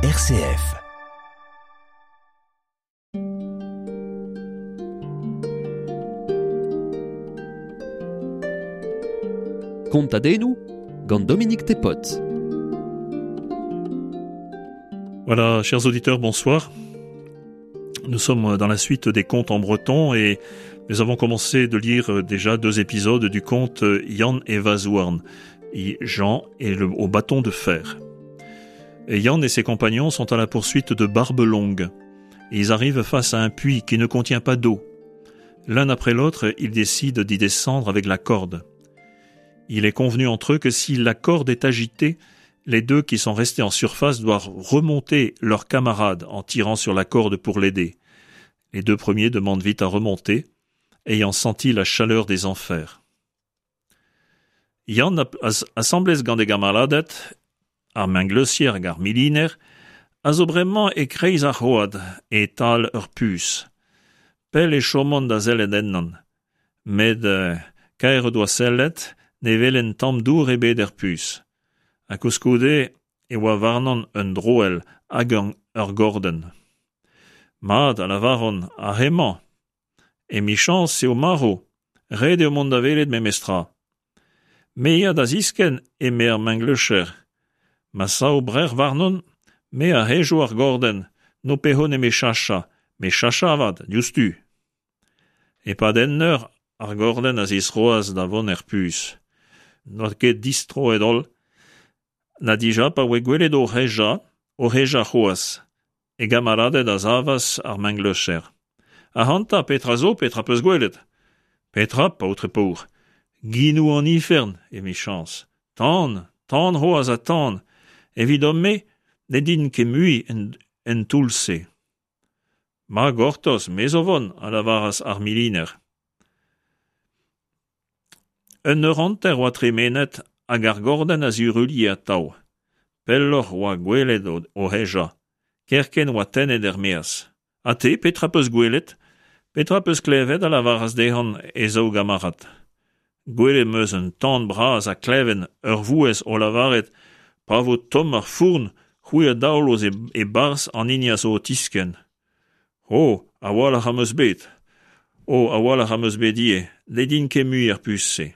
RCF. Kontadennoù gant Dominique Tepot. Voilà, chers auditeurs, bonsoir. Nous sommes dans la suite des contes en breton et nous avons commencé de lire déjà deux épisodes du conte Yann et Vazouarn, Jean et le, au bâton de fer. Et Yann et ses compagnons sont à la poursuite de Barbe Longue. Ils arrivent face à un puits qui ne contient pas d'eau. L'un après l'autre, ils décident d'y descendre avec la corde. Il est convenu entre eux que si la corde est agitée, les deux qui sont restés en surface doivent remonter leur camarade en tirant sur la corde pour l'aider. Les deux premiers demandent vite à remonter, ayant senti la chaleur des enfers. Yann asambles gant e gamaladed, ar mengleusier hag ar miliner, a zo bremañ e-kreiz ar c'hoad, e-tal ur puñs. Pell e chomont da sellet ennañ. Met kaer o doa sellet, ne welent tamm dour ebet er puñs. Ha koulskoude e oa warnañ un droell hag ur gordenn. Mat, a lavaront, ar re-mañ. Emichañs eo marv, ret eo mont da welet memestra. Me ya da ziskenn, eme ar mengleucher. Ma sav brec'h warnon, me a hejo ar gordenn, n'ho pezo nemet chachañ, met chachañ avat, diouzhtu. E-pad un eur, ar gordenn a zistroas da vont er puñs. N'oa ket distroet-holl, na dija pa voe gwelet o hejañ, o hejañ c'hoazh. E gamaladed a savas ar mengleucher. Ac'hanta, petra zo, petra 'peus gwelet ? Petra, paotr paour ? Ginoù an ifern, emichañs. Tan, tan c'hoazh ha tan. Evidon-me ne din ket mui en toull-se. Ma gortoz, me zo 'vont, a lavaras ar miliner. Un eur hanter oa tremenet hag ar gordenn a ziruilhe atav. Pelloc'h oa gwelet o hejañ. Kerkent oa tennet er-maez. Ha te, petra 'peus gwelet ? Petra 'peus klevet ? a lavaras dezhañ e zaou gamarad. Gwelet 'm eus un tan bras ha kleven ur vouezh o lavaret pa vo tomm ar fourn, c'hwi a daolo e-barzh an hini a zo o tiskenn. O, a-walc'h am eus bet. O, a-walc'h am eus bet ivez, ne din ket mui er puñs-se.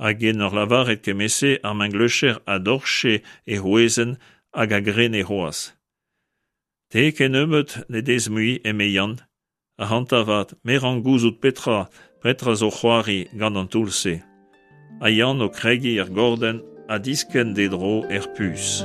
Hag en ur lavaret kement-se ar mengleucher a dorche e c'hwezenn hag a grene c'hoazh. Te kennebeut ne dez mui, eme Yann. Ac'hanta 'vat, me 'rank gouzout petra, petra zo c'hoari gant an toull-se. Ha Yann o kregiñ er gordenn ha diskenn d'e dro er puñs.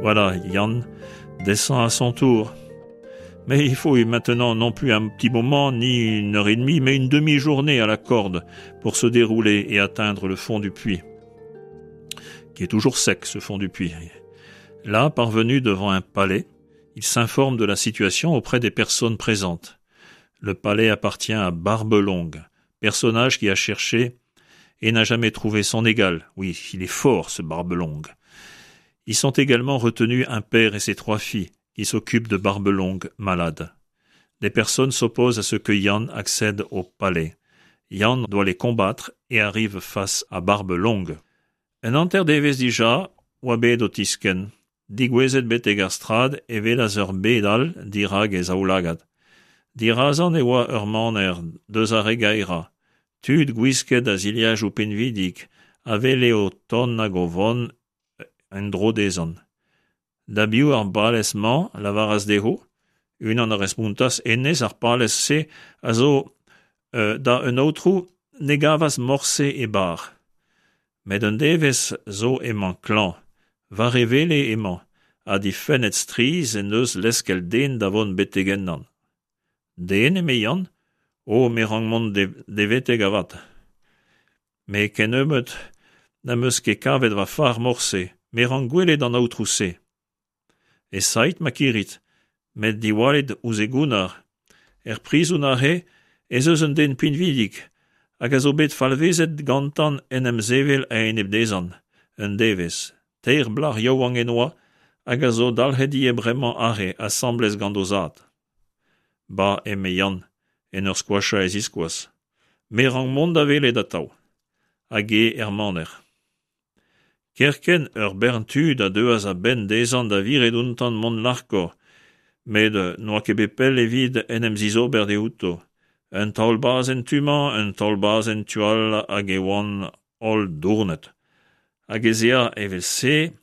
Voilà, Yann descend à son tour. Mais il faut maintenant non plus un petit moment, ni une heure et demie, mais une demi-journée à la corde pour se dérouler et atteindre le fond du puits, qui est toujours sec, ce fond du puits. Là, parvenu devant un palais, il s'informe de la situation auprès des personnes présentes. Le palais appartient à Barbe Longue, personnage qui a cherché et n'a jamais trouvé son égal. Oui, il est fort, ce Barbe Longue. Ils sont également retenus un père et ses trois filles, qui s'occupent de Barbe Longue, malade. Des personnes s'opposent à ce que Yann accède au palais. Yann doit les combattre et arrive face à Barbe Longue. Un hanter-devezh dija oa bet o tiskenn. Degouezhet betek ar strad e welas ur bed all dirak e zaoulagad. Dirazañ e oa ur maner deus ar re gaerañ. Tud gwisket a zilhajoù pinvidik a wele o tont hag o vont en-dro dezhañ. Da biv ar palez-mañ a lavaras dezho. Unan a respontas hennezh ar palez-se a zo da un aotrou ne gavas morse e bar. Met un devezh zo emañ klañv, war e wele emañ, ha difennet strizh en deus leskel den da vont betek ennañ. Den, eme Yann ? O, me 'rank mont d'e vetek avat. Me kennebeut n'am eus ket kavet va far morse, me 'rank gwelet an aotrou-se. Esaeit ma kirit, met diwallit ouzh e gounnar. Er prizon aze ez eus un den pinvidik hag a zo bet falvezet gantan en em sevel a-enep dezhan, un devezh. Teir blac'h yaouank e-noa hag a zo dalc'het ivez bremañ aze asambles gant o zad. Ba, eme Yann, en ur skoachañ e ziskoaz, me 'rank mont da welet atav. Hag eo er maner. Kerkent ur bern tud a deuas a-benn dezhañ da viret outañ mont larkoc'h, met n'oa ket bet pell evit en em zizober diouto. Un taol-bazh en tu-mañ, un taol-bazh en tu all hag e oant holl dournet. Hag ez ea evel-se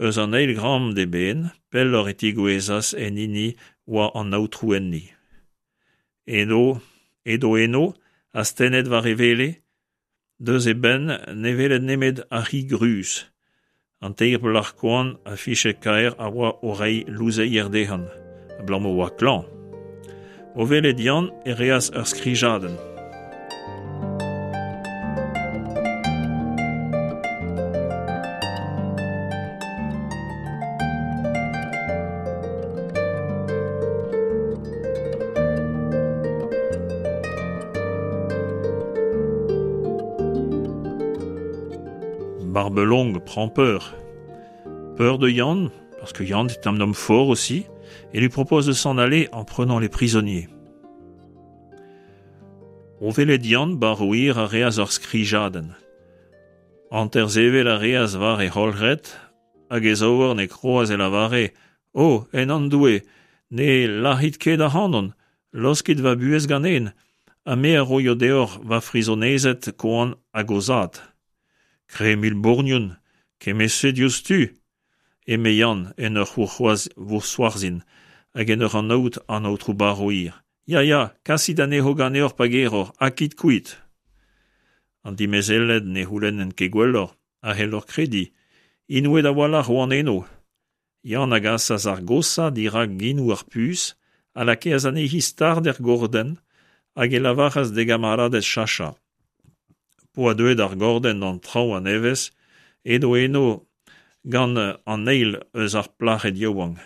eus an eil gambr d'eben, pelloc'h e tigouezas en hini oa an aotrou enni. Eno, edo eno, astennet war e wele, Deus e benn ne weled nemet ar c'hig ruz. An teir plac'h koant ha fichet-kaer a oa o reiñ louzeier dezhañ, abalamour oa klañv. O welet Yann e reas ur skrijadenn. Barbelongue prend peur. Peur de Yann, parce que Yann est un homme fort aussi, et lui propose de s'en aller en prenant les prisonniers. O welet Yann Barrouir a reas ur skrijadenn. Hanter-sevel a reas war e c'holc'hed hag e zaouarn e kroaz e lavare O, en an' Doue, ne lac'hit ket ac'hanon, laoskit va buhez ganen, ha me a roio deoc'h va frizonezed koant hag o zad. Kre mil bourgnon, kement-se diouzhtu, eme Yann en ur vousc'hoarzhin hag en ur anaout an aotrou Barroir. Ya, ya, kasit anezho ganeoc'h pa geroc'h, ha kit kuit. An dimezelled ne c'houlennent ket gwelloc'h, a c'helloc'h krediñ, inouet a-walc'h oant eno. Yann a gasas ar goshañ dirak genoù ar puñs, a lakaas anezhi start er gordenn hag e lavaras d'e gamaraded chachañ. P'oa deuet ar gordenn d'an traoñ a-nevez, edo eno gant an eil eus ar plac'hed yaouank.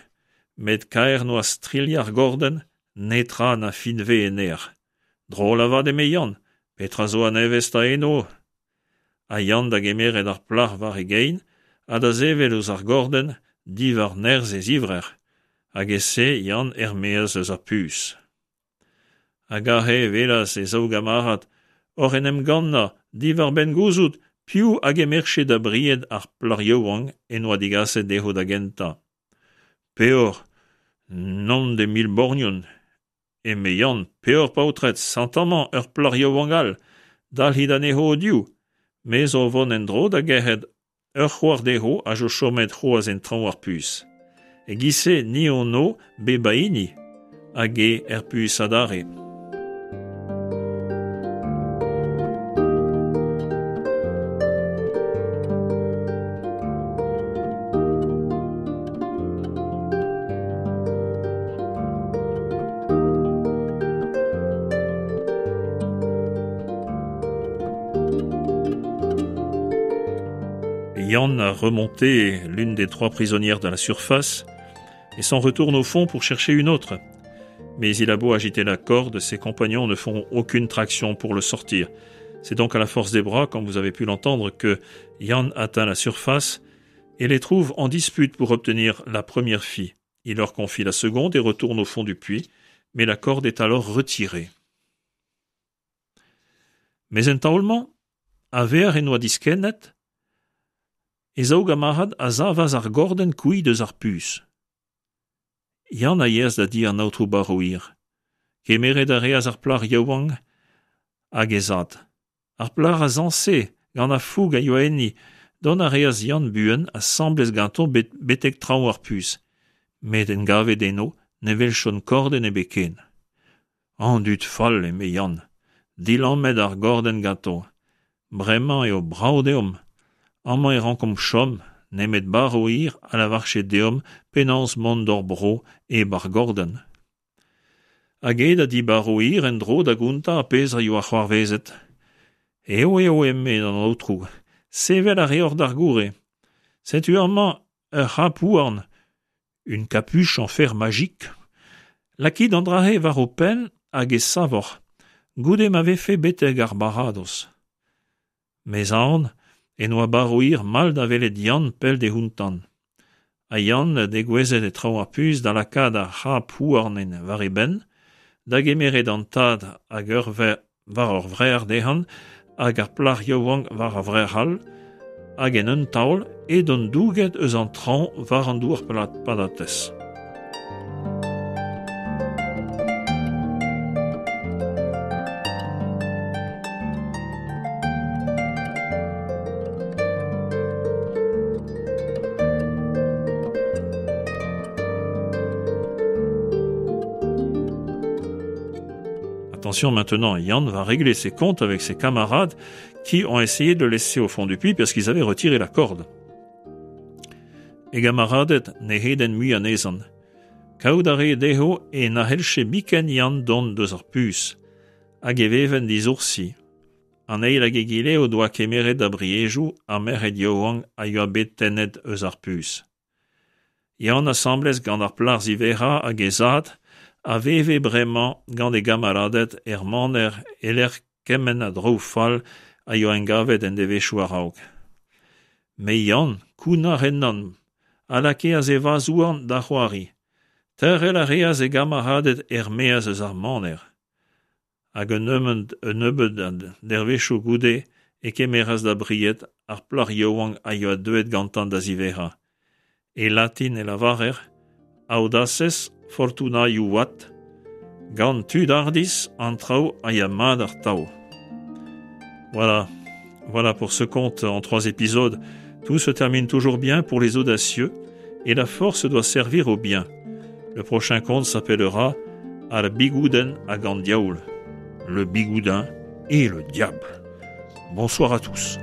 Met kaer 'noa strilhañ ar gordenn, netra na finve en aer. Drol avat eme Yann, petra zo a-nevez 'ta eno? Ha Yann da gemeret ar plac'h war e gein ha da sevel ouzh ar gordenn diwar nerzh e zivrec'h, hag e-se Yann er-maez eus ar puñs. Hag aze e welas e zaou gamarad oc'h en em gannañ diwar-benn gouzout piv a gemerche da bried ar plac'h yaouank en doa degaset dezho da gentañ. Peoc'h, non de mil borgnon, Eme Yann, peoc'h paotred, sent amañ ur plac'h yaouank all, dalc'hit anezho o-div. Me zo o vont en-dro da gerc'hat ur c'hoar dezho a zo chomet c'hoazh en traoñ ar puñs. E-giz-se ni hon o bep a hini, hag eo er puñs adarre. Yann a remonté l'une des trois prisonnières de la surface et s'en retourne au fond pour chercher une autre. Mais il a beau agiter la corde, ses compagnons ne font aucune traction pour le sortir. C'est donc à la force des bras, comme vous avez pu l'entendre, que Yann atteint la surface et les trouve en dispute pour obtenir la première fille. Il leur confie la seconde et retourne au fond du puits, mais la corde est alors retirée. Mes en taol-mañ, a-vec'h en doa diskennet, e zaou gamarad a savas ar gordenn kuit eus ar puñs. Yann a yeas da di an aotrou Barroir. Kemeret a reas ar plac'h yaouank hag he zad. Ar plac'h a zañse gant ar foug a yoa enni. Dont a reas Yann buan asambles ganto betek traoñ ar puñs. Met en gavet eno ne welchont kordenn ebet ken. An dud fall, eme Yann, dilammet ar gordenn ganto. Bremañ eo brav deomp. Amañ e rankomp chom, nemet Barroir a lavarche deomp penaos mont d'hor bro hep ar gordenn. Hag eo da di Barroir en-dro da gontañ ar pezh a yoa c'hoarvezet. Eo eo, eme an aotrou, sevel a reoc'h d'ar goure. Setu amañ ur c'hap-houarn, une capuche en fer magique. Lakit an dra-se war ho penn hag e savoc'h. goude ma vefe betek ar baradoz. Mes aon en oa Barouir mall da welet Yann pell dehontan. Ha Yann degouezhet e traoñ ar puñs da lakaat ar c'hab houarn war e benn, da gemeret an tad hag ur war ur vrec'h dezhañ hag ar plac'h yaouank war ar vrec'h all, hag en un taol edont douget eus an traoñ war an douar patatez. Attention maintenant, Yann va régler ses comptes avec ses camarades qui ont essayé de le laisser au fond du puits parce qu'ils avaient retiré la corde. E gamaraded ne c'hedent mui anezhan. Kaout a ree dezho e na c'hellche biken Yann dont deus ar puñs, hag e vevent disoursi. An eil hag egile o doa kemeret da briejoù ar merc'hed yaouank a yoa bet tennet eus ar puñs. Yann asambles gant ar plac'h ziwezhañ hag he zad a veve bremañ gant e gamaraded er maner e-lec'h kement a draoù fall a yoa engavet en devezhioù a-raok. Met Yann, kounnar ennañ, a lakeas e vazh-houarn da c'hoari. Teurel a reas e gamaraded er-maez eus ar maner. Hag un nebeud a dervezhioù goude e kemeras da bried ar plac'h yaouank a yoa deuet gantañ da ziwezhañ. E latin e lavarer Audaces fortuna iuvat, gant tud hardizh an traoù a ya mat atav. Voilà, voilà pour ce conte en trois épisodes. Tout se termine toujours bien pour les audacieux et la force doit servir au bien. Le prochain conte s'appellera Ar Bigoudenn hag an Diaoul. Le Bigoudin et le diable. Bonsoir à tous.